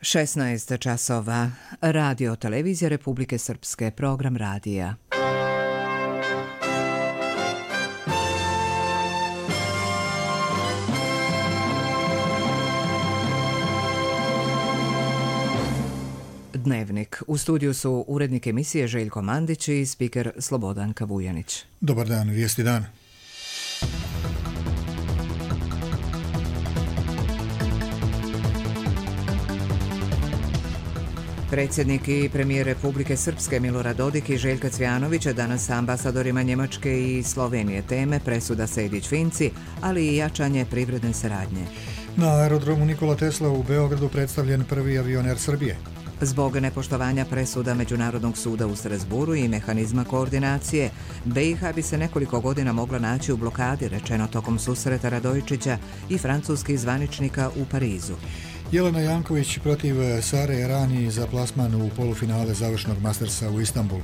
16 časova. Radio Televizija Republike Srpske, program radija. Dnevnik. U studiju su urednik emisije Željko Mandić i spiker Slobodanka Vujanić. Dobar dan, vijesti dan. Predsjednik i premijer Republike Srpske Milorad Dodik i Željka Cvijanovića danas sa ambasadorima Njemačke i Slovenije teme presuda Sejdić-Finci, ali i jačanje privredne saradnje. Na aerodromu Nikola Tesla u Beogradu predstavljen prvi avion Air Srbije. Zbog nepoštovanja presuda Međunarodnog suda u Strasburu i mehanizma koordinacije, BiH bi se nekoliko godina mogla naći u blokadi, rečeno tokom susreta Radojičića i francuskih zvaničnika u Parizu. Jelena Janković protiv Sare Errani za plasman u polufinale završnog Mastersa u Istanbulu.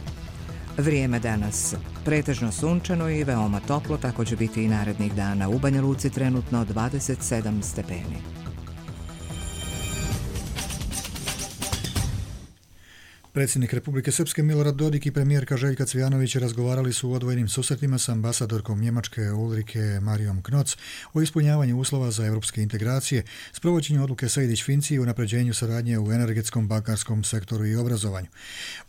Vrijeme danas. Pretežno sunčano i veoma toplo, tako će biti i narednih dana. U Banja Luci trenutno 27 stepeni. Predsjednik Republike Srpske Milorad Dodik i premijerka Željka Cvijanović razgovarali su u odvojenim susretima s ambasadorkom Njemačke Ulrike Marijom Knoc o ispunjavanju uslova za europske integracije, sprovođenju odluke Sejdić-Finci i unapređenju saradnje u energetskom, bankarskom sektoru i obrazovanju.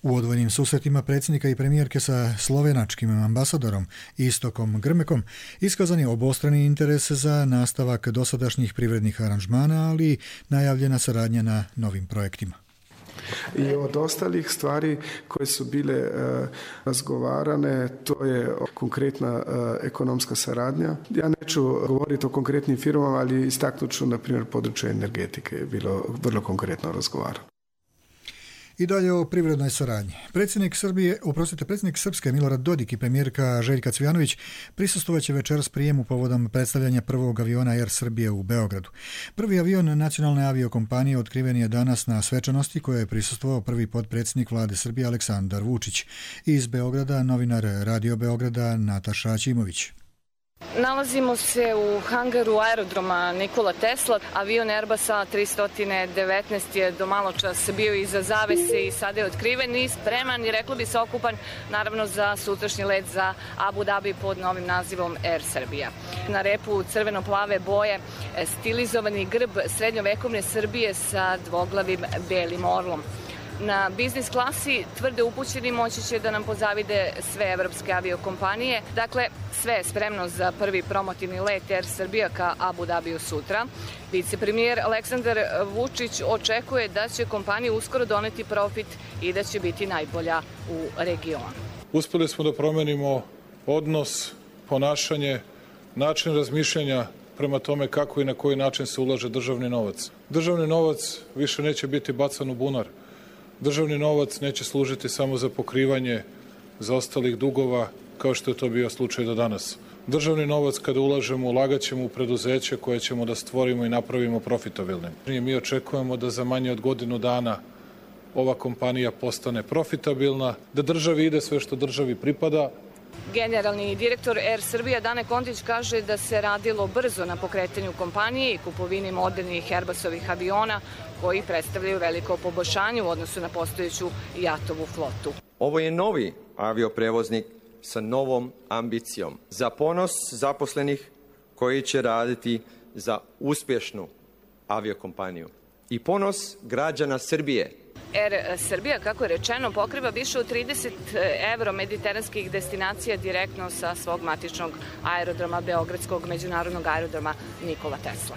U odvojenim susretima predsjednika i premijerke sa slovenačkim ambasadorom Istokom Grmekom iskazan je obostrani interes za nastavak dosadašnjih privrednih aranžmana, ali i najavljena saradnja na novim projektima. I od ostalih stvari koje su bile razgovarane, to je konkretna ekonomska saradnja. Ja neću govoriti o konkretnim firmama, ali istaknut ću, na primjer, područje energetike je bilo vrlo konkretno razgovarano. I dalje o privrednoj saradnji. Predsjednik Srpske Milorad Dodik i premijerka Željka Cvijanović prisustvovaće večeras prijemu povodom predstavljanja prvog aviona Air Srbije u Beogradu. Prvi avion nacionalne aviokompanije otkriven je danas na svečanosti koje je prisustvovao prvi potpredsjednik vlade Srbije Aleksandar Vučić. Iz Beograda novinar Radio Beograda Nataša Aćimović. Nalazimo se u hangaru aerodroma Nikola Tesla. Avion Airbusa 319 je do malo čas bio iza zavese i sada je otkriven i spreman i reklo bi se okupan naravno za sutrašnji let za Abu Dhabi pod novim nazivom Air Srbija. Na repu crveno-plave boje stilizovani grb srednjovekovne Srbije sa dvoglavim belim orlom. Na biznis klasi tvrde upućeni moći će da nam pozavide sve evropske aviokompanije. Dakle, sve je spremno za prvi promotivni let Air Srbija ka Abu Dhabiju sutra. Vicepremijer Aleksandar Vučić očekuje da će kompanija uskoro doneti profit i da će biti najbolja u regionu. Uspjeli smo da promenimo odnos, ponašanje, način razmišljanja prema tome kako i na koji način se ulaže državni novac. Državni novac više neće biti bacan u bunar. Državni novac neće služiti samo za pokrivanje zaostalih dugova, kao što je to bio slučaj do danas. Državni novac kada ulažemo, ulagaćemo u preduzeće koje ćemo da stvorimo i napravimo profitabilnim. Mi očekujemo da za manje od godinu dana ova kompanija postane profitabilna, da državi ide sve što državi pripada. Generalni direktor Air Srbija Dane Kontić kaže da se radilo brzo na pokretanju kompanije i kupovini modernih Airbusovih aviona koji predstavljaju veliko poboljšanje u odnosu na postojeću JAT-ovu flotu. Ovo je novi avioprevoznik sa novom ambicijom za ponos zaposlenih koji će raditi za uspješnu aviokompaniju i ponos građana Srbije. Air Srbija, kako je rečeno, pokriva više od 30 evro-mediteranskih destinacija direktno sa svog matičnog aerodroma, Beogradskog međunarodnog aerodroma Nikola Tesla.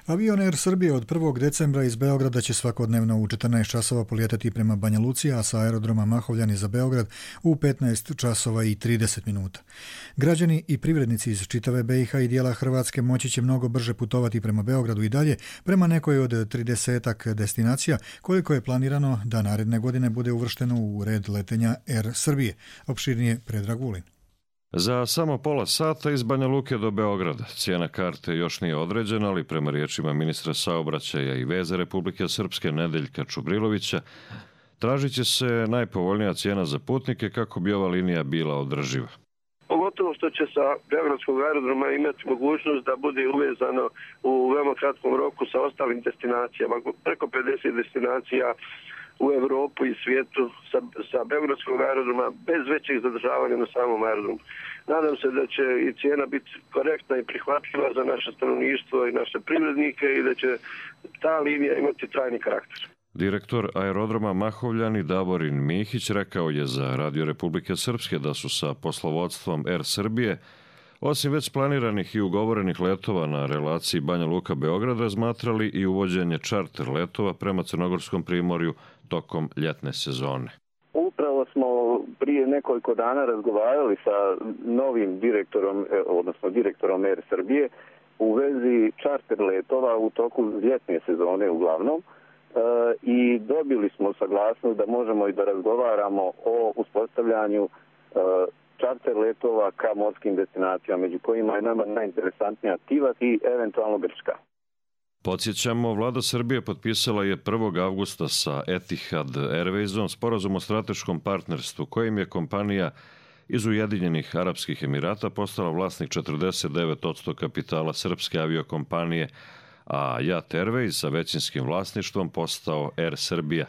Avion Air Srbije od 1. decembra iz Beograda će svakodnevno u 14 časova polijetati prema Banja Luci, a sa aerodroma Mahovljani za Beograd u 15 časova i 30 minuta. Građani i privrednici iz čitave BiH i dijela Hrvatske moći će mnogo brže putovati prema Beogradu i dalje, prema nekoj od 30-ak destinacija, koliko je planirano da naredne godine bude uvršteno u red letenja Air Srbije. Opširnije Predrag Vulin. Za samo pola sata iz Banja Luke do Beograda. Cijena karte još nije određena, ali prema riječima ministra saobraćaja i veza Republike Srpske Nedeljka Čubrilovića, tražit će se najpovoljnija cijena za putnike kako bi ova linija bila održiva. pogotovo što će sa beogradskog aerodroma imati mogućnost da bude uvezano u veoma kratkom roku sa ostalim destinacijama, preko 50 destinacija u Europu i svijetu sa beogradskog aerodroma bez većih zadržavanja na samom aerodromu. Nadam se da će i cijena biti korektna i prihvatljiva za naše stanovništvo i naše privrednike i da će ta linija imati trajni karakter. Direktor aerodroma Mahovljani Davorin Mihić rekao je za Radio Republike Srpske da su sa poslovodstvom Air Srbije, osim već planiranih i ugovorenih letova na relaciji Banja Luka-Beograd, razmatrali i uvođenje čarter letova prema Crnogorskom primorju tokom ljetne sezone. Upravo smo prije nekoliko dana razgovarali sa novim direktorom Air Srbije u vezi čarter letova u toku ljetne sezone uglavnom. I dobili smo saglasnost da možemo i da razgovaramo o uspostavljanju čarter letova ka morskim destinacijama, među kojima je nama najinteresantnija Tivat i eventualno Grčka. Podsjećamo, vlada Srbije potpisala je 1. avgusta sa Etihad Airwaysom sporazum o strateškom partnerstvu kojim je kompanija iz Ujedinjenih Arapskih Emirata postala vlasnik 49% kapitala srpske aviokompanije, a JAT Airways sa većinskim vlasništvom postao Air Srbija.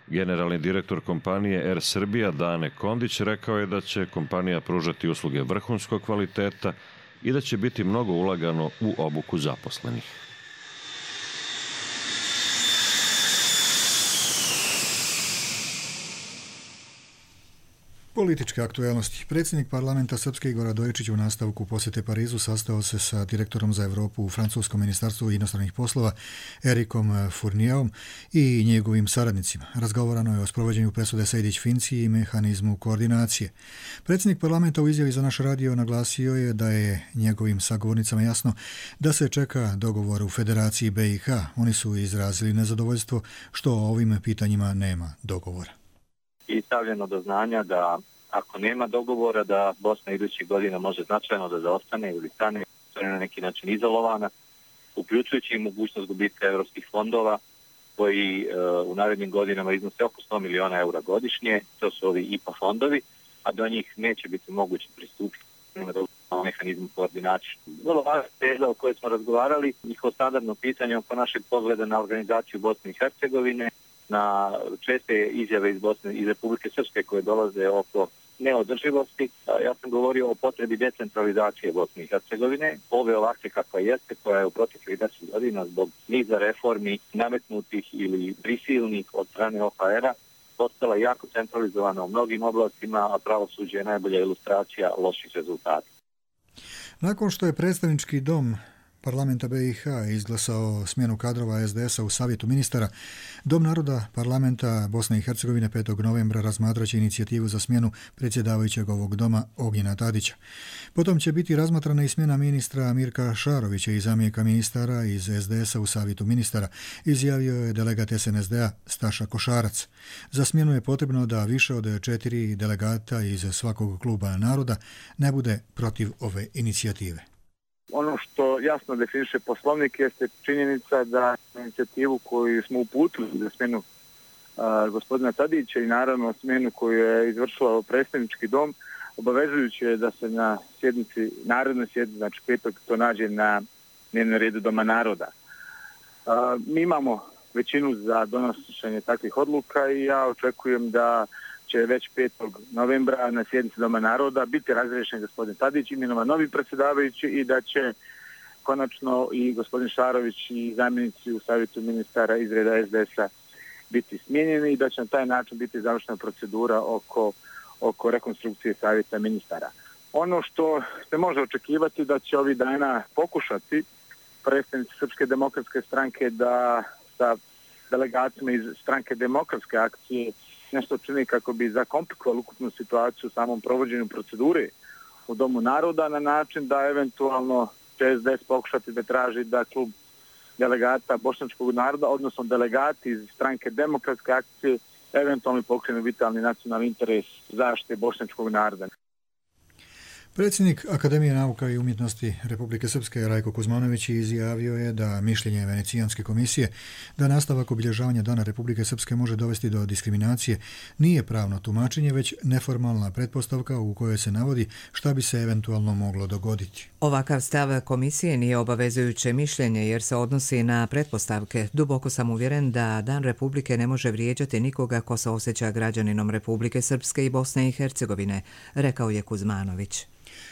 Generalni direktor kompanije Air Srbija Dane Kondić rekao je da će kompanija pružati usluge vrhunskog kvaliteta i da će biti mnogo ulagano u obuku zaposlenih. Političke aktuelnosti. Predsjednik parlamenta Srpske Igor Radojičić u nastavku posjete Parizu sastao se sa direktorom za Europu u francuskom ministarstvu inostranih poslova Erikom Fournijerom i njegovim saradnicima. Razgovarano je o sprovođenju presude Sejdić-Finci i mehanizmu koordinacije. Predsjednik parlamenta u izjavi za naš radio naglasio je da je njegovim sagovornicama jasno da se čeka dogovor u Federaciji BiH. Oni su izrazili nezadovoljstvo što o ovim pitanjima nema dogovora. I stavljeno do znanja da ako nema dogovora da Bosna idućih godina može značajno da zaostane ili stane na neki način izolovana, uključujući i mogućnost gubitka evropskih fondova koji u narednim godinama iznose oko 100 miliona eura godišnje, to su ovi IPA fondovi, a do njih neće biti moguće pristupiti na mehanizmu koordinacije. Vrlo važna teza o kojoj smo razgovarali, njihovo standardno pitanje oko našeg pogleda na organizaciju Bosne i Hercegovine, na česte izjave iz Republike Srpske koje dolaze oko neodrživosti. Ja sam govorio o potrebi decentralizacije Bosne i Hercegovine, ove ovakve kakva jeste, koja je u proteklih 10 godina zbog niza reformi nametnutih ili prisilnih od strane OHR-a postala jako centralizovana u mnogim oblastima, a pravosuđe je najbolja ilustracija loših rezultata. Nakon što je predstavnički dom Parlamenta BiH izglasao smjenu kadrova SDS-a u Savjetu ministara, Dom naroda Parlamenta Bosne i Hercegovine 5. novembra razmatraće inicijativu za smjenu predsjedavajućeg ovog doma Ognjena Tadića. Potom će biti razmatrana i smjena ministra Mirka Šarovića i zamjenika ministara iz SDS-a u Savjetu ministara, izjavio je delegat SNSD-a Staša Košarac. Za smjenu je potrebno da više od 4 delegata iz svakog kluba naroda ne bude protiv ove inicijative. Ono što jasno definiše Poslovnik jeste činjenica da inicijativu koju smo uputili za smjenu gospodina Tadića i naravno smjenu koju je izvršila predstavnički dom, obavezujuće je da se na sjednici, narednoj sjednici, znači 5. to nađe na dnevnom redu Doma naroda. Mi imamo većinu za donošenje takvih odluka i ja očekujem da će već 5. novembra na sjednici Doma naroda biti razriješen gospodin Tadić, imenovan novi predsjedavajući i da će konačno i gospodin Šarović i zamjenici u Savjetu ministara iz reda SDS-a biti smijenjeni i da će na taj način biti završena procedura oko rekonstrukcije Savjeta ministara. Ono što se može očekivati da će ovih dana pokušati predstavnici Srpske demokratske stranke da sa delegacijama iz Stranke demokratske akcije nešto čini kako bi zakomplikovali ukupnu situaciju u samom provođenju procedure u Domu naroda na način da eventualno će SDS pokušati da traži da klub delegata bošnjačkog naroda, odnosno delegati iz Stranke demokratske akcije, eventualno pokrenu vitalni nacionalni interes zaštite bošnjačkog naroda. Predsjednik Akademije nauka i umjetnosti Republike Srpske Rajko Kuzmanović izjavio je da mišljenje Venecijanske komisije da nastavak obilježavanja Dana Republike Srpske može dovesti do diskriminacije nije pravno tumačenje, već neformalna pretpostavka u kojoj se navodi šta bi se eventualno moglo dogoditi. Ovakav stav komisije nije obavezujuće mišljenje jer se odnosi na pretpostavke. Duboko sam uvjeren da Dan Republike ne može vrijeđati nikoga ko se osjeća građaninom Republike Srpske i Bosne i Hercegovine, rekao je Kuzmanović.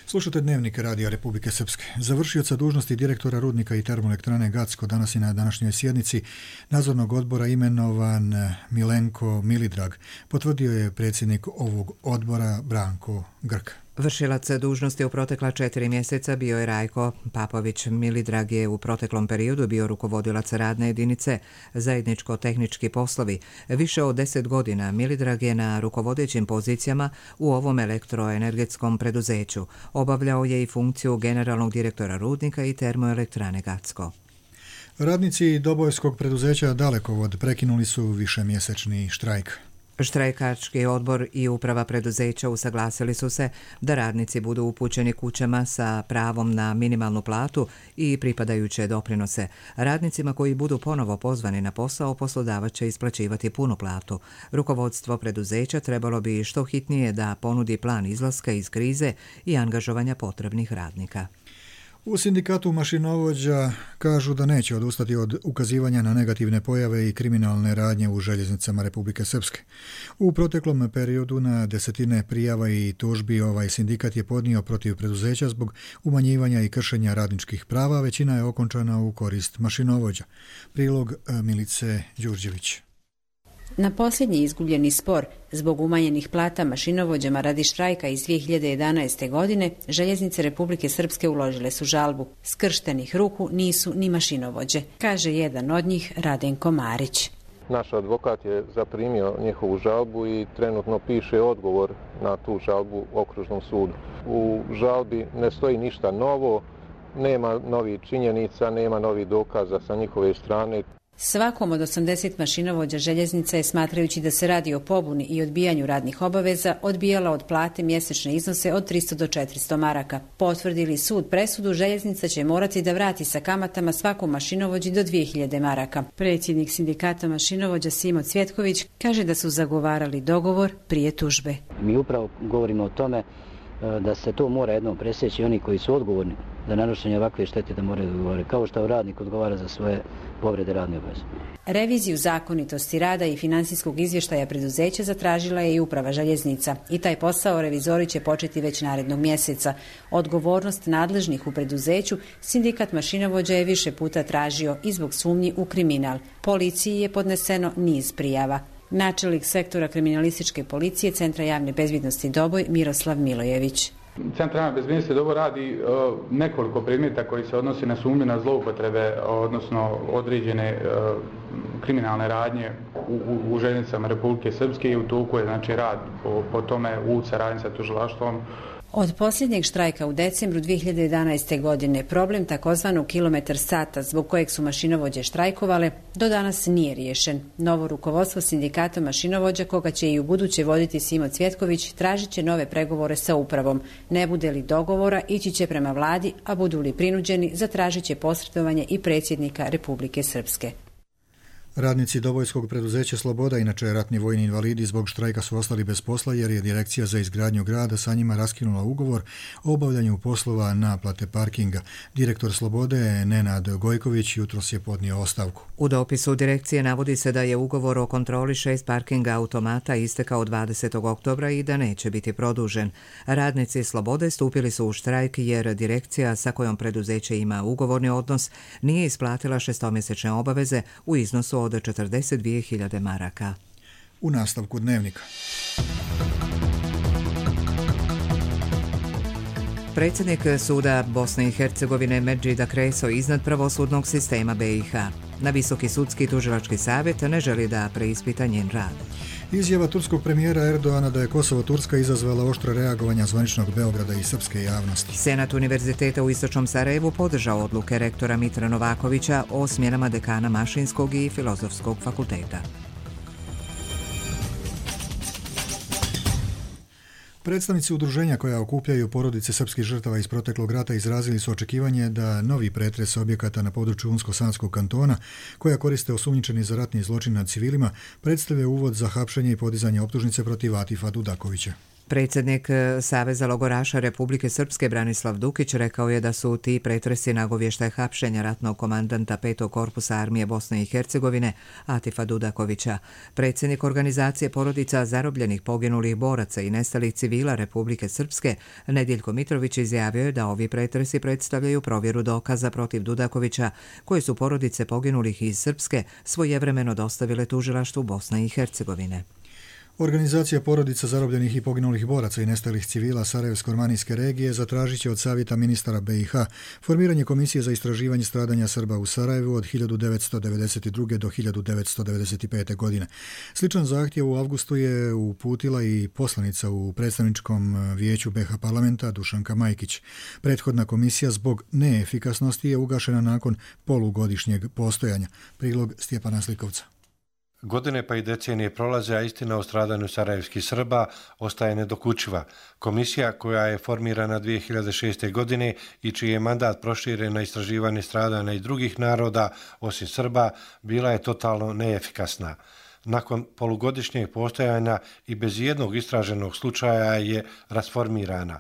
Slušate Dnevnik Radija Republike Srpske. Završioca dužnosti direktora rudnika i termoelektrane Gacko danas i na današnjoj sjednici nadzornog odbora imenovan Milenko Milidrag, potvrdio je predsjednik ovog odbora Branko Grk. Vršilac dužnosti u protekla 4 mjeseca bio je Rajko Papović. Milidrag je u proteklom periodu bio rukovodilac radne jedinice zajedničko-tehnički poslovi. Više od 10 godina Milidrag je na rukovodećim pozicijama u ovom elektroenergetskom preduzeću. Obavljao je i funkciju generalnog direktora rudnika i termoelektrane Gacko. Radnici Dobojskog preduzeća Dalekovod prekinuli su višemjesečni štrajk. Štrajkački odbor i uprava preduzeća usaglasili su se da radnici budu upućeni kućama sa pravom na minimalnu platu i pripadajuće doprinose. Radnicima koji budu ponovo pozvani na posao poslodavac će isplaćivati punu platu. Rukovodstvo preduzeća trebalo bi što hitnije da ponudi plan izlaska iz krize i angažovanja potrebnih radnika. U sindikatu mašinovođa kažu da neće odustati od ukazivanja na negativne pojave i kriminalne radnje u željeznicama Republike Srpske. U proteklom periodu na desetine prijava i tužbi ovaj sindikat je podnio protiv preduzeća zbog umanjivanja i kršenja radničkih prava, većina je okončana u korist mašinovođa. Prilog Milice Đurđević. Na posljednji izgubljeni spor zbog umanjenih plata mašinovođama radi štrajka iz 2011. godine, željeznice Republike Srpske uložile su žalbu. Skrštenih ruku nisu ni mašinovođe, kaže jedan od njih, Radenko Marić. Naš advokat je zaprimio njihovu žalbu i trenutno piše odgovor na tu žalbu Okružnom sudu. U žalbi ne stoji ništa novo, nema novih činjenica, nema novih dokaza sa njihove strane. Svakom od 80 mašinovođa željeznica je, smatrajući da se radi o pobuni i odbijanju radnih obaveza, odbijala od plate mjesečne iznose od 300 do 400 maraka. Potvrdili sud presudu, željeznica će morati da vrati sa kamatama svakom mašinovođi do 2000 maraka. Predsjednik sindikata mašinovođa Simo Cvjetković kaže da su zagovarali dogovor prije tužbe. Mi upravo govorimo o tome da se to mora jednom presjeći, oni koji su odgovorni za nanošenje ovakve štete da moraju odgovoriti, kao što radnik odgovara za svoje povrede radne obaveze. Reviziju zakonitosti rada i financijskog izvještaja preduzeća zatražila je i uprava željeznica i taj posao revizori će početi već narednog mjeseca. Odgovornost nadležnih u preduzeću sindikat mašinovođa je više puta tražio i zbog sumnji u kriminal. Policiji je podneseno niz prijava. Načelnik sektora kriminalističke policije Centra javne bezbjednosti Doboj Miroslav Milojević. Centar javne bezbjednosti Doboj radi nekoliko predmeta koji se odnosi na sumnju na zloupotrebe, odnosno određene kriminalne radnje u željeznicama Republike Srpske i u toku je rad po tome u saradnji sa tužilaštvom. Od posljednjeg štrajka u decembru 2011. godine problem takozvanog kilometar sata zbog kojeg su mašinovođe štrajkovale do danas nije riješen. Novo rukovodstvo sindikata mašinovođa, koga će i u buduće voditi Simo Cvjetković, tražit će nove pregovore sa upravom. Ne bude li dogovora, ići će prema vladi, a budu li prinuđeni, zatražit će posredovanje i predsjednika Republike Srpske. Radnici Dobojskog preduzeća Sloboda, inače ratni vojni invalidi, zbog štrajka su ostali bez posla jer je Direkcija za izgradnju grada sa njima raskinula ugovor o obavljanju poslova naplate parkinga. Direktor Slobode, Nenad Gojković, jutros je podnio ostavku. U dopisu direkcije navodi se da je ugovor o kontroli 6 parkinga automata istekao 20. oktobra i da neće biti produžen. Radnici Slobode stupili su u štrajk jer direkcija sa kojom preduzeće ima ugovorni odnos nije isplatila šestomjesečne obaveze u iznosu od 42.000 maraka. U nastavku Dnevnika. Predsjednik suda Bosne i Hercegovine Medžida Kreso iznad pravosudnog sistema BiH. Na Visoki sudski tužilački savjet ne želi da preispita njen rad. Izjava turskog premijera Erdoana da je Kosovo-Turska izazvala oštre reagovanja zvaničnog Beograda i srpske javnosti. Senat Univerziteta u Istočnom Sarajevu podržao odluke rektora Mitra Novakovića o smjenama dekana Mašinskog i Filozofskog fakulteta. Predstavnici udruženja koja okupljaju porodice srpskih žrtava iz proteklog rata izrazili su očekivanje da novi pretres objekata na području Unsko-Sanskog kantona, koja koriste osumnjičeni za ratni zločin nad civilima, predstavlja uvod za hapšenje i podizanje optužnice protiv Atifa Dudakovića. Predsjednik Saveza logoraša Republike Srpske Branislav Dukić rekao je da su ti pretresi nagovještaj hapšenja ratnog komandanta 5. korpusa armije Bosne i Hercegovine Atifa Dudakovića. Predsjednik organizacije porodica zarobljenih, poginulih boraca i nestalih civila Republike Srpske Nedjeljko Mitrović izjavio je da ovi pretresi predstavljaju provjeru dokaza protiv Dudakovića koje su porodice poginulih iz Srpske svojevremeno dostavile tužilaštvu Bosne i Hercegovine. Organizacija porodica zarobljenih i poginulih boraca i nestalih civila Sarajevsko-Romanijske regije zatražit će od Savjeta ministara BiH formiranje komisije za istraživanje stradanja Srba u Sarajevu od 1992. do 1995. godine. Sličan zahtjev u avgustu je uputila i poslanica u predstavničkom vijeću BiH parlamenta Dušanka Majkić. Prethodna komisija zbog neefikasnosti je ugašena nakon polugodišnjeg postojanja. Prilog Stjepana Slikovca. Godine pa i decenije prolaze, a istina o stradanju sarajevskih Srba ostaje nedokučiva. Komisija koja je formirana 2006. godine i čiji je mandat proširen na istraživanje stradanja i drugih naroda, osim Srba, bila je totalno neefikasna. Nakon polugodišnjeg postojanja i bez jednog istraženog slučaja je rasformirana.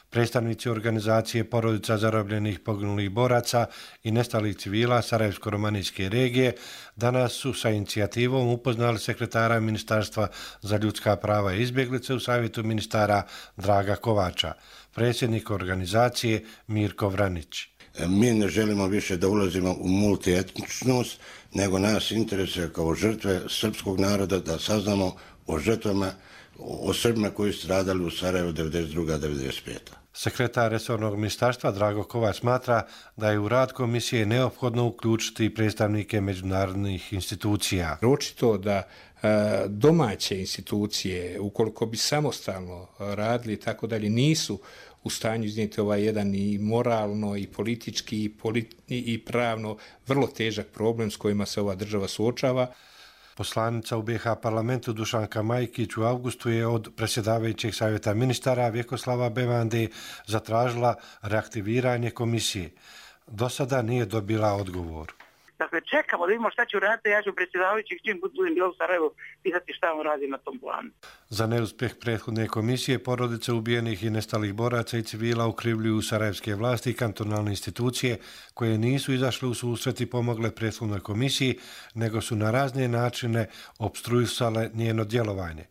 Predstavnici organizacije porodica zarobljenih poginulih boraca i nestalih civila Sarajevsko-Romanijske regije danas su sa inicijativom upoznali sekretara Ministarstva za ljudska prava i izbjeglice u Savjetu ministara Draga Kovača, predsjednik organizacije Mirko Vranić. Mi ne želimo više da ulazimo u multietničnost, nego nas interesuje kao žrtve srpskog naroda da saznamo o žrtvama, o Srbima koji su stradali u Sarajevu 1992-1995. Sekretar resornog ministarstva Drago Kovač smatra da je u rad komisije neophodno uključiti predstavnike međunarodnih institucija. Očito da domaće institucije, ukoliko bi samostalno radili i tako dalje, nisu u stanju iznijeti ovaj jedan i moralno i politički i pravno vrlo težak problem s kojima se ova država suočava. Poslanica u BiH parlamentu Dušanka Majkić u avgustu je od predsjedavajućeg savjeta ministara Vjekoslava Bevande zatražila reaktiviranje komisije. Do sada nije dobila odgovor. Dakle, čekamo da vidimo šta će uraditi, ja ću predsjedavajućih čim budem bio u Sarajevu pitati šta on radi na tom planu. Za neuspjeh prethodne komisije porodice ubijenih i nestalih boraca i civila ukrivljuju sarajevske vlasti i kantonalne institucije koje nisu izašle u susret i pomogle prethodnoj komisiji, nego su na razne načine opstruisale njeno djelovanje.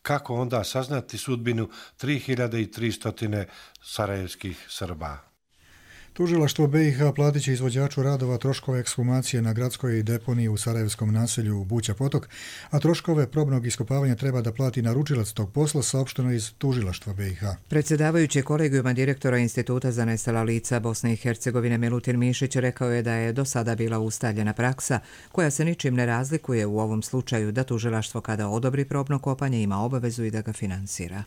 Kako onda saznati sudbinu 3300 sarajevskih Srba? Tužilaštvo BiH platit će izvođaču radova troškove ekshumacije na gradskoj deponiji u sarajevskom naselju Buća Potok, a troškove probnog iskopavanja treba da plati naručilac tog posla, saopšteno iz Tužilaštva BiH. Predsjedavajući kolegijuma direktora Instituta za nestala lica Bosne i Hercegovine Milutin Mišić rekao je da je do sada bila ustaljena praksa koja se ničim ne razlikuje u ovom slučaju, da tužilaštvo kada odobri probno kopanje ima obavezu i da ga finansira.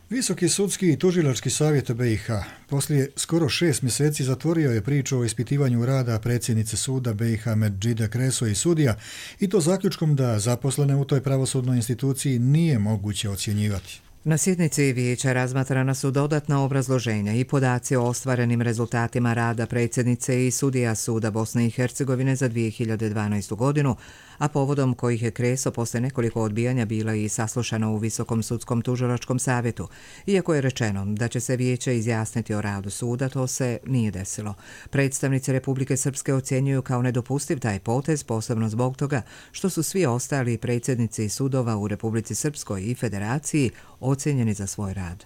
Visoki sudski i tužilački savjet BiH poslije skoro 6 mjeseci zatvorio je priču o ispitivanju rada predsjednice suda BiH Medžide Kreso i sudija, i to zaključkom da zaposlene u toj pravosudnoj instituciji nije moguće ocjenjivati. Na sjednici vijeća razmatrana su dodatna obrazloženja i podaci o ostvarenim rezultatima rada predsjednice i sudija suda Bosne i Hercegovine za 2012. godinu, a povodom kojih je Kreso posle nekoliko odbijanja bila i saslušana u Visokom sudskom tužilačkom savjetu. Iako je rečeno da će se vijeće izjasniti o radu suda, to se nije desilo. Predstavnici Republike Srpske ocjenjuju kao nedopustiv taj potez, posebno zbog toga što su svi ostali predsjednici sudova u Republici Srpskoj i Federaciji ocjenjeni za svoj rad.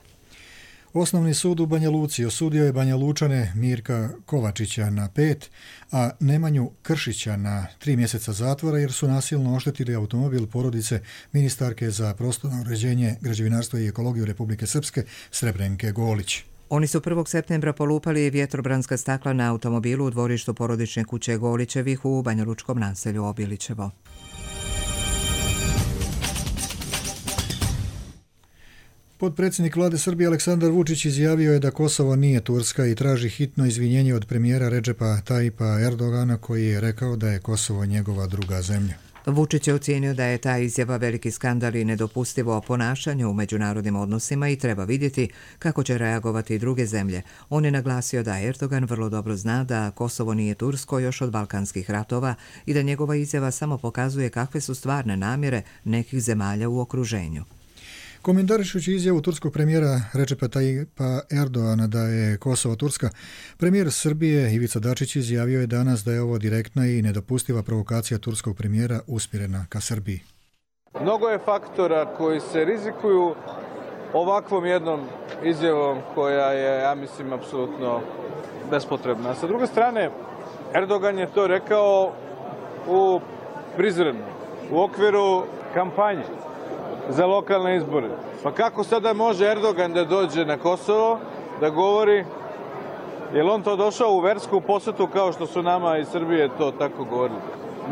Osnovni sud u Banja Luci osudio je Banja Lučane Mirka Kovačića na 5, a Nemanju Kršića na 3 mjeseca zatvora jer su nasilno oštetili automobil porodice ministarke za prostorno uređenje, građevinarstvo i ekologiju Republike Srpske Srebrenke Golić. Oni su 1. septembra polupali vjetrobranska stakla na automobilu u dvorištu porodične kuće Golićevih u banjalučkom naselju Obilićevo. Potpredsjednik vlade Srbije Aleksandar Vučić izjavio je da Kosovo nije Turska i traži hitno izvinjenje od premijera Redžepa Tajipa Erdogana, koji je rekao da je Kosovo njegova druga zemlja. Vučić je ocijenio da je ta izjava veliki skandal i nedopustivo ponašanje u međunarodnim odnosima i treba vidjeti kako će reagovati i druge zemlje. On je naglasio da Erdogan vrlo dobro zna da Kosovo nije Tursko još od balkanskih ratova i da njegova izjava samo pokazuje kakve su stvarne namjere nekih zemalja u okruženju. Komentarišući izjavu turskog premijera Recepa Tayyipa Erdoana da je Kosovo Turska, premijer Srbije Ivica Dačić izjavio je danas da je ovo direktna i nedopustiva provokacija turskog premijera usmjerena ka Srbiji. Mnogo je faktora koji se rizikuju ovakvom jednom izjavom koja je, ja mislim, apsolutno bespotrebna. Sa druge strane, Erdogan je to rekao u Prizrenu, u okviru kampanje za lokalne izbore. Pa kako sada može Erdogan da dođe na Kosovo, da govori, je li on to došao u versku posjetu kao što su nama iz Srbije to tako govorili?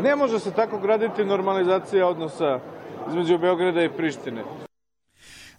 Ne može se tako graditi normalizacija odnosa između Beograda i Prištine.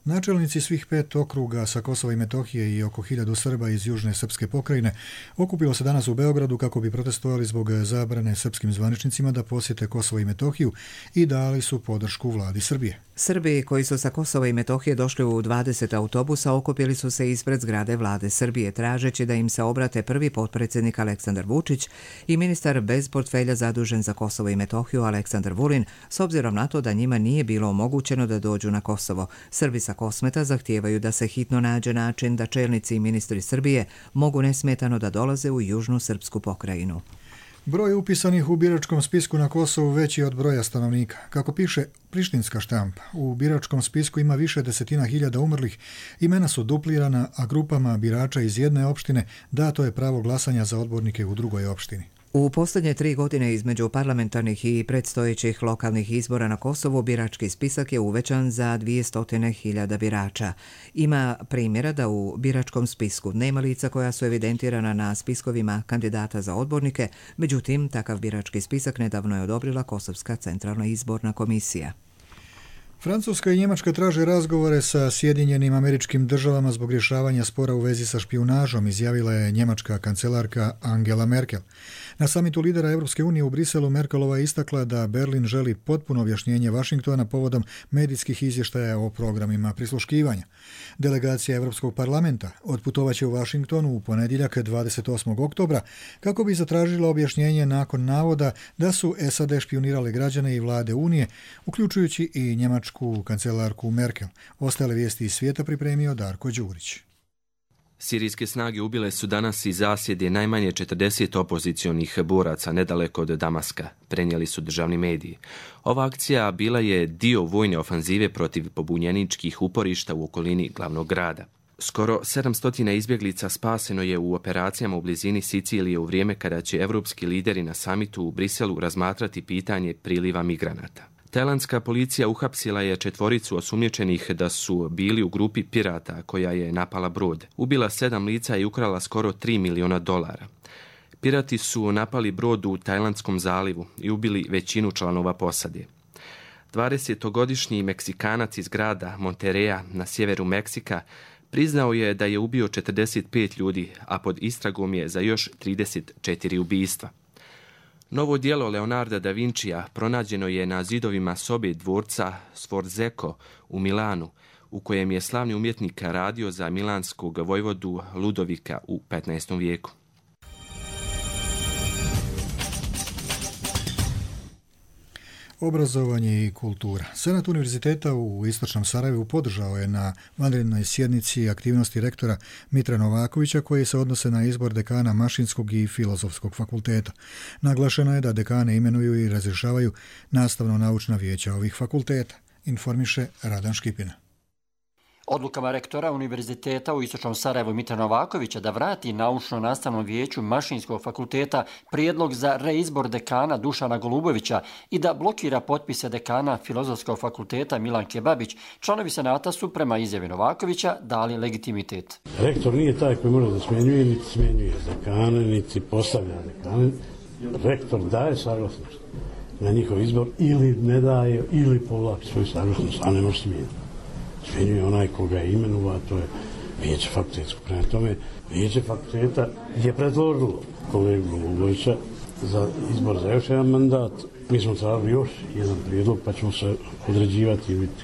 Načelnici svih 5 okruga sa Kosova i Metohije i oko 1000 Srba iz južne srpske pokrajine okupilo se danas u Beogradu kako bi protestovali zbog zabrane srpskim zvaničnicima da posjete Kosovo i Metohiju i dali su podršku vladi Srbije. Srbi koji su sa Kosova i Metohije došli u 20 autobusa okupili su se ispred zgrade vlade Srbije tražeći da im se obrate prvi potpredsjednik Aleksandar Vučić i ministar bez portfelja zadužen za Kosovo i Metohiju Aleksandar Vulin, s obzirom na to da njima nije bilo omogućeno da dođu na Kosovo. Srbi sa Kosmeta zahtijevaju da se hitno nađe način da čelnici i ministri Srbije mogu nesmetano da dolaze u južnu srpsku pokrajinu. Broj upisanih u biračkom spisku na Kosovu veći je od broja stanovnika. Kako piše prištinska štampa, u biračkom spisku ima više desetina hiljada umrlih, imena su duplirana, a grupama birača iz jedne opštine dato je pravo glasanja za odbornike u drugoj opštini. U posljednje 3 godine između parlamentarnih i predstojećih lokalnih izbora na Kosovu birački spisak je uvećan za 200.000 birača. Ima primjera da u biračkom spisku nema lica koja su evidentirana na spiskovima kandidata za odbornike, međutim, takav birački spisak nedavno je odobrila Kosovska centralna izborna komisija. Francuska i Njemačka traže razgovore sa Sjedinjenim Američkim Državama zbog rješavanja spora u vezi sa špijunažom, izjavila je njemačka kancelarka Angela Merkel. Na samitu lidera Europske unije u Briselu Merkelova je istakla da Berlin želi potpuno objašnjenje Vašingtona povodom medijskih izvještaja o programima prisluškivanja. Delegacija Europskog parlamenta otputovaće u Vašingtonu u ponedjeljak 28. oktobra kako bi zatražila objašnjenje nakon navoda da su SAD špijunirale građane i vlade Unije, uključujući i njemačku kancelarku Merkel. Ostale vijesti iz svijeta pripremio Darko Đurić. Sirijske snage ubile su danas iz zasjede najmanje 40 opozicionih boraca nedaleko od Damaska, prenijeli su državni mediji. Ova akcija bila je dio vojne ofanzive protiv pobunjeničkih uporišta u okolini glavnog grada. Skoro 700 izbjeglica spaseno je u operacijama u blizini Sicilije u vrijeme kada će evropski lideri na samitu u Briselu razmatrati pitanje priliva migranata. Tajlandska policija uhapsila je 4 osumnjičenih da su bili u grupi pirata koja je napala brod. Ubila 7 lica i ukrala skoro $3 miliona. Pirati su napali brod u Tajlandskom zalivu i ubili većinu članova posade. 20-godišnji Meksikanac iz grada Monterreya na sjeveru Meksika priznao je da je ubio 45 ljudi, a pod istragom je za još 34 ubistva. Novo djelo Leonarda da Vincija pronađeno je na zidovima sobe dvorca Sforzesco u Milanu, u kojem je slavni umjetnik radio za milanskog vojvodu Ludovika u 15. vijeku. Obrazovanje i kultura. Senat univerziteta u Istočnom Sarajevu podržao je na vanrednoj sjednici aktivnosti rektora Mitra Novakovića koji se odnose na izbor dekana Mašinskog i Filozofskog fakulteta. Naglašeno je da dekane imenuju i razrješavaju nastavno-naučna vijeća ovih fakulteta, informiše Radan Škipina. Odlukama rektora Univerziteta u Istočnom Sarajevu Mitra Novakovića da vrati naučno-nastavnom vijeću Mašinskog fakulteta prijedlog za reizbor dekana Dušana Golubovića i da blokira potpise dekana Filozofskog fakulteta Milanke Babić, članovi senata su prema izjavi Novakovića dali legitimitet. Rektor nije taj koji može da smjenjuje, niti smjenjuje dekane, niti postavlja dekane. Rektor daje saglasnost na njihov izbor ili ne daje, ili povlači svoju saglasnost, a ne može smijeniti. Smjenjuje onaj koga je imenova, to je vijeće fakultetsko. Prema tome, vijeće fakulteta je predložilo kolegu Golubovića za izbor za još jedan mandat Mi smo tražili još jedan prijedlog, pa ćemo se određivati i vidjeti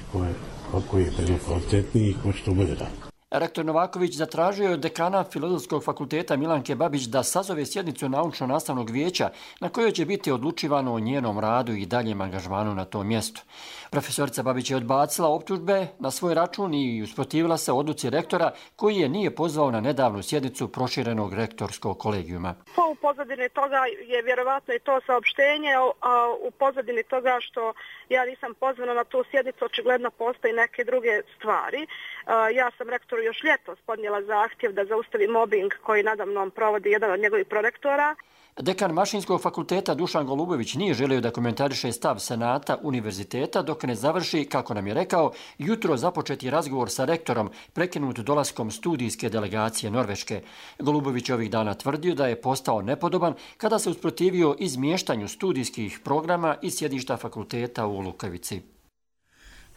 koji je prijedlog kvalitetniji i ko će to bolje raditi. Rektor Novaković zatražio je od dekana Filozofskog fakulteta Milanke Babić da sazove sjednicu naučno-nastavnog vijeća na kojoj će biti odlučivano o njenom radu i daljem angažmanu na tom mjestu. Profesorica Babić je odbacila optužbe na svoj račun i usprotivila se odluci rektora koji je nije pozvao na nedavnu sjednicu proširenog rektorskog kolegijuma. U pozadini toga je vjerovatno i to saopštenje, a u pozadini toga što ja nisam pozvana na tu sjednicu, očigledno postoji neke druge stvari. Ja sam rektoru još ljetos podnijela zahtjev da zaustavi mobbing koji nadamnom provodi jedan od njegovih prorektora. Dekan Mašinskog fakulteta Dušan Golubović nije želio da komentariše stav Senata univerziteta dok ne završi, kako nam je rekao, jutro započeti razgovor sa rektorom prekinut dolaskom studijske delegacije Norveške. Golubović je ovih dana tvrdio da je postao nepodoban kada se usprotivio izmještanju studijskih programa iz sjedišta fakulteta u Lukavici.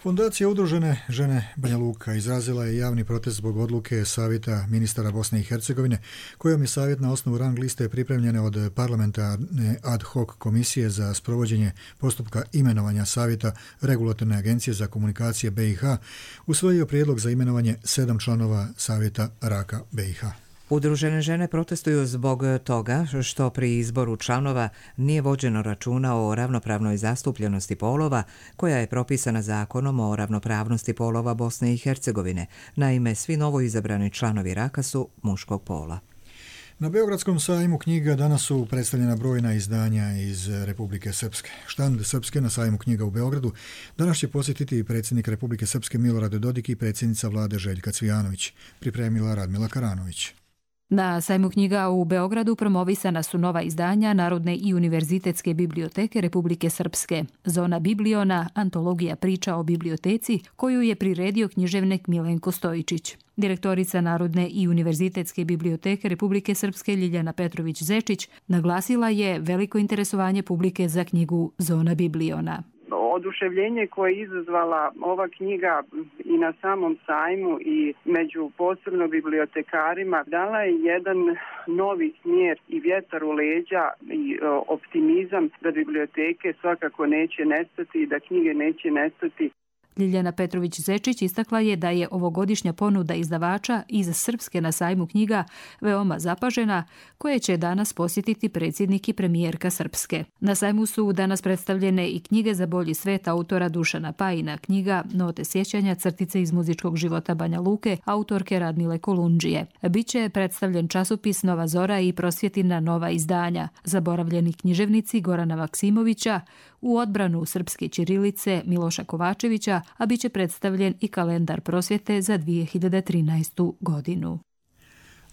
Fondacija Udružene žene Banja Luka izrazila je javni protest zbog odluke Savjeta ministara Bosne i Hercegovine, kojom je savjet na osnovu rang liste pripremljene od parlamentarne ad hoc komisije za sprovođenje postupka imenovanja Savjeta Regulatorne agencije za komunikacije BiH usvojio prijedlog za imenovanje 7 članova Savjeta Raka BiH. Udružene žene protestuju zbog toga što pri izboru članova nije vođeno računa o ravnopravnoj zastupljenosti polova koja je propisana zakonom o ravnopravnosti polova Bosne i Hercegovine. Naime, svi novo izabrani članovi Raka su muškog pola. Na Beogradskom sajmu knjiga danas su predstavljena brojna izdanja iz Republike Srpske. Štand Srpske na sajmu knjiga u Beogradu danas će posjetiti predsjednik Republike Srpske Milorad Dodik i predsjednica vlade Željka Cvijanović, pripremila Radmila Karanović. Na sajmu knjiga u Beogradu promovisana su nova izdanja Narodne i univerzitetske biblioteke Republike Srpske. Zona Bibliona, antologija priča o biblioteci, koju je priredio književnik Milenko Stojičić. Direktorica Narodne i univerzitetske biblioteke Republike Srpske Ljiljana Petrović-Zečić naglasila je veliko interesovanje publike za knjigu Zona Bibliona. Oduševljenje koje je izazvala ova knjiga i na samom sajmu i među posebno bibliotekarima dala je jedan novi smjer i vjetar u leđa i optimizam da biblioteke svakako neće nestati i da knjige neće nestati. Ljiljana Petrović-Zečić istakla je da je ovogodišnja ponuda izdavača iz Srpske na sajmu knjiga veoma zapažena, koje će danas posjetiti predsjednik i premijerka Srpske. Na sajmu su danas predstavljene i knjige za bolji svet autora Dušana Pajina, knjiga Note sjećanja, crtice iz muzičkog života Banja Luke, autorke Radmile Kolundžije. Biće predstavljen časopis Nova Zora i Prosvjetina nova izdanja, zaboravljeni književnici Gorana Maksimovića, u odbranu srpske ćirilice Miloša Kovačevića, a bit će predstavljen i kalendar prosvjete za 2013. godinu.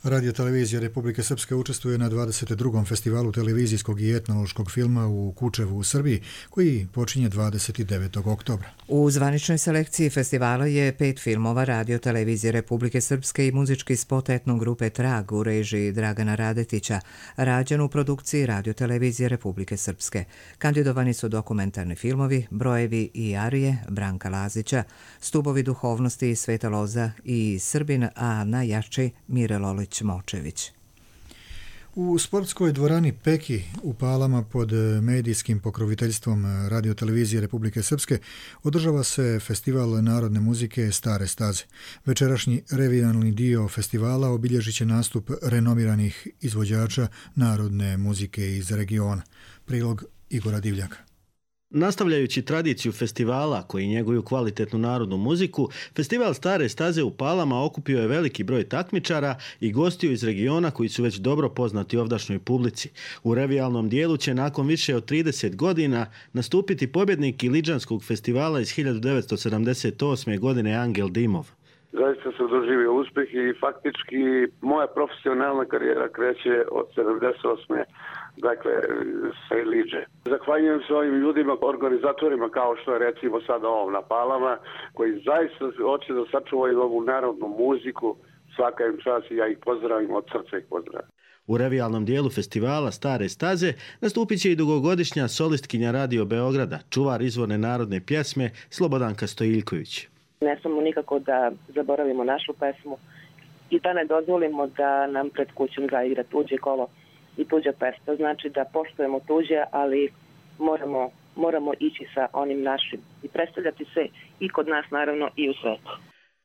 Radio televizija Republike Srpske učestvuje na 22. festivalu televizijskog i etnološkog filma u Kučevu u Srbiji, koji počinje 29. oktobra. U zvaničnoj selekciji festivala je 5 filmova Radio televizije Republike Srpske i muzički spot etno grupe Trag u režiji Dragana Radetića, rađen u produkciji Radio televizije Republike Srpske. Kandidovani su dokumentarni filmovi Brojevi i Arije Branka Lazića, Stubovi duhovnosti Sveta Loza i Srbin, a najjači Mire Lolić Močević. U sportskoj dvorani Peki u Palama pod medijskim pokroviteljstvom Radio televizije Republike Srpske održava se festival narodne muzike Stare staze. Večerašnji revijalni dio festivala obilježit će nastup renomiranih izvođača narodne muzike iz regiona. Prilog Igora Divljaka. Nastavljajući tradiciju festivala koji njeguju kvalitetnu narodnu muziku, festival Stare staze u Palama okupio je veliki broj takmičara i gostiju iz regiona koji su već dobro poznati ovdašnjoj publici. U revijalnom dijelu će nakon više od 30 godina nastupiti pobjednik Iliđanskog festivala iz 1978. godine Angel Dimov. Zaista sam doživio uspjeh i faktički moja profesionalna karijera kreće od 78. Dakle, sa Iliđe. Zahvaljujem se ovim ljudima, organizatorima kao što je recimo sad ovom na Palama, koji zaista hoće da sačuvaju ovu narodnu muziku, svaka im čast i ja ih pozdravim, od srca ih pozdravim. U revijalnom dijelu festivala Stare staze nastupit će i dugogodišnja solistkinja Radio Beograda, čuvar izvorne narodne pjesme Slobodanka Stojiljković. Ne smemo nikako da zaboravimo našu pesmu i da ne dozvolimo da nam pred kućom zaigra tuđe kolo i tuđa pesma. Znači da poštujemo tuđe, ali moramo moramo ići sa onim našim i predstavljati se i kod nas naravno i u svetu.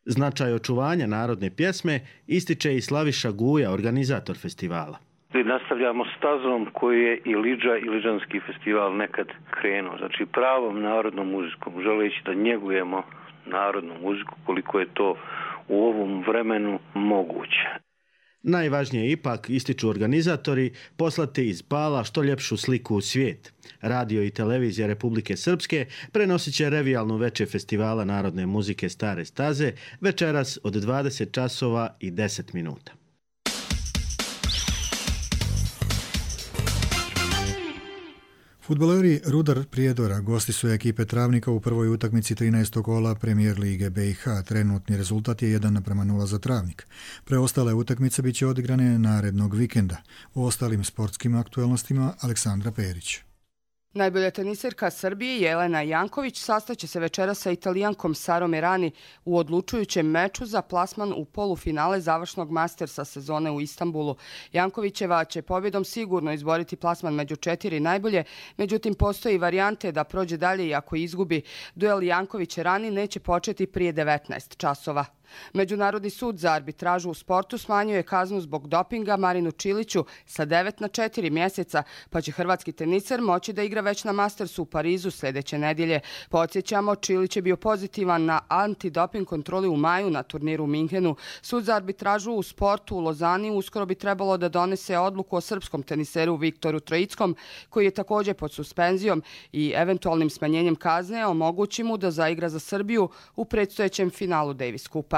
Značaj očuvanja narodne pjesme ističe i Slaviša Guja, organizator festivala. Nastavljamo stazom koju je i Lidža i Lidžanski festival nekad krenuo. Znači pravom narodnom muzikom, želeći da njegujemo narodnu muziku koliko je to u ovom vremenu moguće. Najvažnije ipak, ističu organizatori, poslati iz Pala što ljepšu sliku u svijet. Radio i televizija Republike Srpske prenosit će revijalnu večer festivala narodne muzike Stare staze večeras od 20 časova i 10 minuta. Fudbaleri Rudar Prijedora gosti su ekipe Travnika u prvoj utakmici 13. kola Premijer Lige BiH. Trenutni rezultat je 1:0 za Travnik. Preostale utakmice bit će odigrane narednog vikenda. O ostalim sportskim aktualnostima Aleksandra Perić. Najbolja teniserka Srbije Jelena Janković sastaće se večeras sa Italijankom Sarom Errani u odlučujućem meču za plasman u polufinale završnog Mastersa sezone u Istanbulu. Jankovićeva će pobjedom sigurno izboriti plasman među 4 najbolje, međutim postoji varijante da prođe dalje i ako izgubi. Duel Janković-Errani neće početi prije 19 časova. Međunarodni sud za arbitražu u sportu smanjuje kaznu zbog dopinga Marinu Čiliću sa 9 na 4 mjeseca, pa će hrvatski teniser moći da igra već na Mastersu u Parizu sljedeće nedjelje. Podsjećamo, Čilić je bio pozitivan na antidoping kontroli u maju na turniru u Minhenu. Sud za arbitražu u sportu u Lozani uskoro bi trebalo da donese odluku o srpskom teniseru Viktoru Trojickom, koji je također pod suspenzijom i eventualnim smanjenjem kazne omogući mu da zaigra za Srbiju u predstojećem finalu Davis Kupa.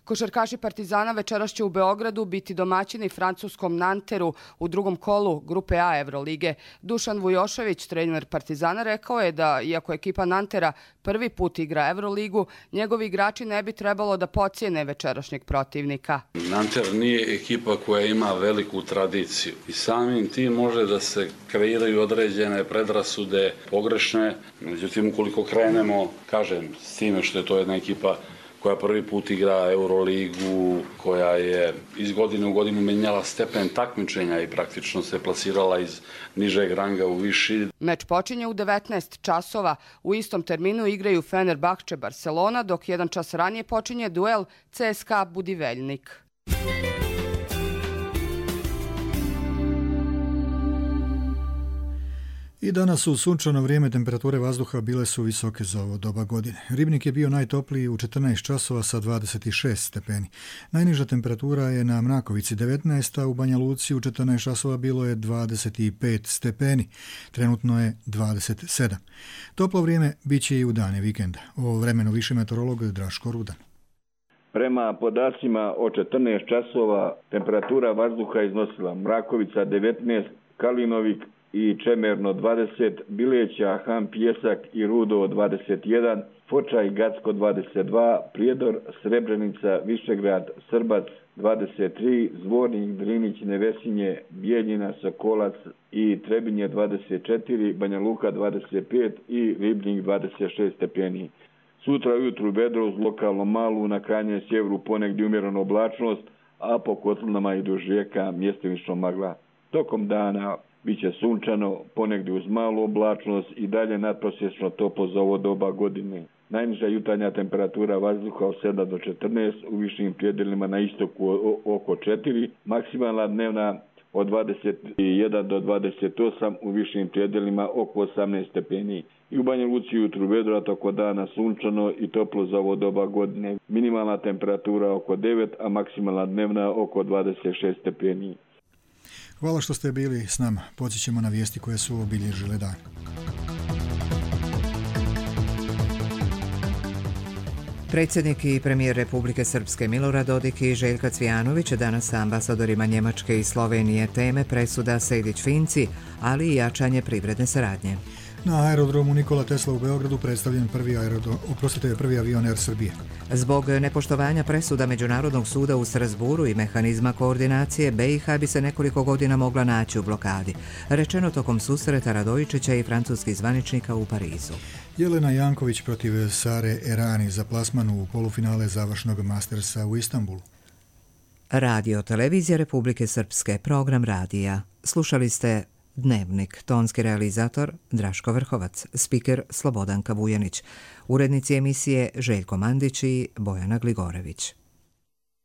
Košarkaši Partizana večeras će u Beogradu biti domaćini francuskom Nanteru u drugom kolu Grupe A Evrolige. Dušan Vujošević, trener Partizana, rekao je da, iako ekipa Nantera prvi put igra Evroligu, njegovi igrači ne bi trebalo da pocijene večerašnjeg protivnika. Nanter nije ekipa koja ima veliku tradiciju i samim tim može da se kreiraju određene predrasude pogrešne. Međutim, ukoliko krenemo, kažem, s time što je to jedna ekipa koja prvi put igra Euroligu, koja je iz godine u godinu menjala stepen takmičenja i praktično se plasirala iz nižeg ranga u viši. Meč počinje u 19 časova. U istom terminu igraju Fenerbahče Barcelona, dok 1 čas ranije počinje duel CSKA Budivelnik. I danas u sunčano vrijeme temperature vazduha bile su visoke za ovo doba godine. Ribnik je bio najtopliji u 14 časova sa 26 stepeni. Najniža temperatura je na Mrakovici 19, a u Banja Luci u 14 časova bilo je 25 stepeni. Trenutno je 27. Toplo vrijeme bit će i u dane vikenda. O vremenu više meteorolog Draško Rudan. Prema podacima o 14 časova temperatura vazduha iznosila Mrakovica 19, Kalinovik i Čemerno 20, Bileća, Han Pjesak i Rudo 21, Foča i Gacko 22, Prijedor, Srebrenica, Višegrad, Srbac 23, Zvornik, Drinić, Nevesinje, Bijeljina, Sokolac i Trebinje 24, Banja Luka 25 i Ribnik 26 stepeni. Sutra ujutru vedro uz lokalno malu, na krajnjem sjeveru ponegdje umjerena oblačnost, a po kotlinama i duž rijeka mjestimično magla. Tokom dana biće sunčano, ponegdje uz malu oblačnost i dalje nadprosječno toplo za ovo doba godine. Najniža jutarnja temperatura vazduha od 7 do 14, u višim predjelima na istoku oko 4, maksimalna dnevna od 21 do 28, u višim predjelima oko 18 stepeni. I u Banja Luci jutru vedro, toko dana sunčano i toplo za ovo doba godine. Minimalna temperatura oko 9, a maksimalna dnevna oko 26 stepeni. Hvala što ste bili s nama. Podsjećamo na vijesti koje su obilježile dan. Predsjednik i premijer Republike Srpske Milorad Dodik i Željka Cvijanović danas sa ambasadorima Njemačke i Slovenije teme presuda Sejdić-Finci, ali i jačanje privredne saradnje. Na aerodromu Nikola Tesla u Beogradu predstavljen prvi avion Air Srbije. Zbog nepoštovanja presuda Međunarodnog suda u Strasburu i mehanizma koordinacije, BiH bi se nekoliko godina mogla naći u blokadi, rečeno tokom susreta Radojičića i francuskih zvaničnika u Parizu. Jelena Janković protiv Sare Errani za plasman u polufinale završnog Mastersa u Istanbulu. Radio Televizija Republike Srpske, program radija. Slušali ste Dnevnik, tonski realizator Draško Vrhovac, spiker Slobodanka Vujanić, urednici emisije Željko Mandić i Bojana Gligorević.